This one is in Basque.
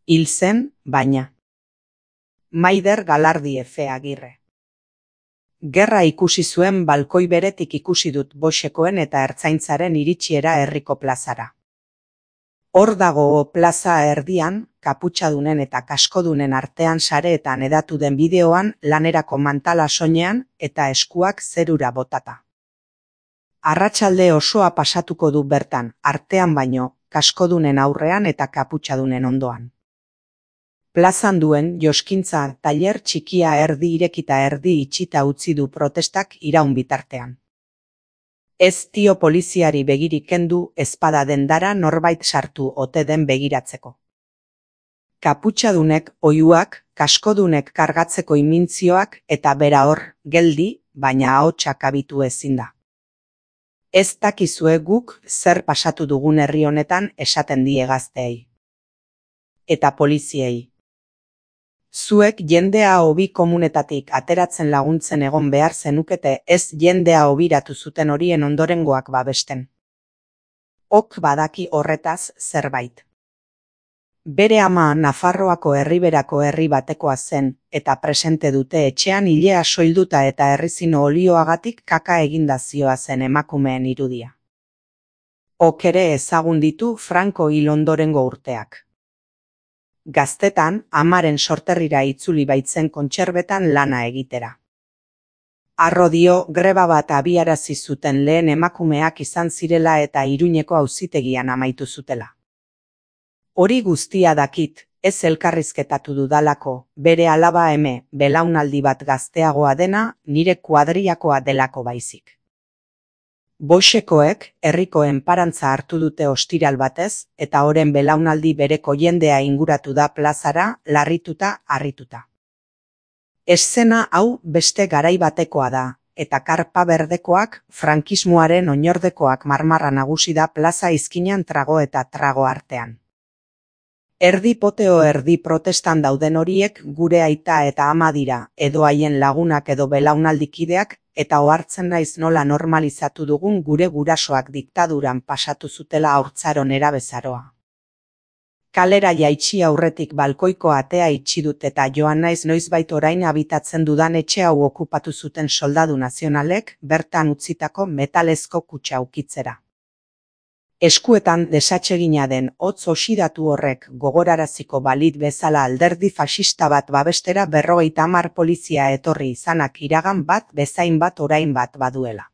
Hil zen, baina. Maider Galardi Efe Agirre. Gerra ikusi zuen balkoi beretik ikusi dut Boxekoen eta Ertzaintzaren iritsiera herriko plazara. Hor dago plaza erdian, kaputxadunen eta kaskodunen artean sareetan hedatu den bideoan lanerako mantala soinean eta eskuak zerura botata. Arratsalde osoa pasatuko du bertan, artean baino, kaskodunen aurrean eta kaputxadunen ondoan. Plazan duen joskintza tailer txikia erdi irekita erdi itxita utzi du protestak iraun bitartean. Ez dio poliziari begirik kendu ezpada dendara norbait sartu ote den begiratzeko. Kaputxadunek oihuak, kaskodunek kargatzeko imintzioak eta bera hor, geldi, baina ahotsak abitu ezin da. Ez dakizue guk zer pasatu dugun herri honetan esaten die gazteei. Eta poliziei. Zuek jendea hobi komunetatik ateratzen laguntzen egon behar zenukete ez jendea hobiratu zuten horien ondorengoak babesten. Ok badaki horretaz zerbait. Bere ama Nafarroako herriberako herri batekoa zen eta presente dute etxean ilea soilduta eta errizino olioagatik kaka eginda zioazen emakumeen irudia. Ok ere ezagun ditu Franco hil ondorengo urteak. Gaztetan, amaren sorterrira itzuli baitzen kontserbetan lana egitera. Arro dio greba bat abiarazi zuten lehen emakumeak izan zirela eta Iruñeko auzitegian amaitu zutela. Hori guztia dakit, ez elkarrizketatu dudalako, bere alaba belaunaldi bat gazteagoa dena, nire kuadriakoa delako baizik. Boxekoek herriko enparantza hartu dute ostiral batez eta oren belaunaldi bereko jendea inguratu da plazara, larrituta, harrituta. Eszena hau beste garai batekoa da, eta karpa berdekoak, frankismoaren oinordekoak marmarra nagusi da plaza izkinan trago eta trago artean. Erdi poteo erdi protestan dauden horiek gure aita eta ama dira, edo haien lagunak edo belaunaldikideak, eta ohartzen naiz nola normalizatu dugun gure gurasoak diktaduran pasatu zutela haurtzaron erabezaroa. Kalera jaitsi aurretik balkoiko atea itxi dut eta joan naiz noizbait orain habitatzen dudan etxe hau okupatu zuten soldadu nazionalek bertan utzitako metalezko kutxa ukitzera. Eskuetan desatsegina den hotz oxidatu horrek gogoraraziko balit bezala alderdi faxista bat babestera 50 polizia etorri izanak iragan bat bezain bat orain bat baduela.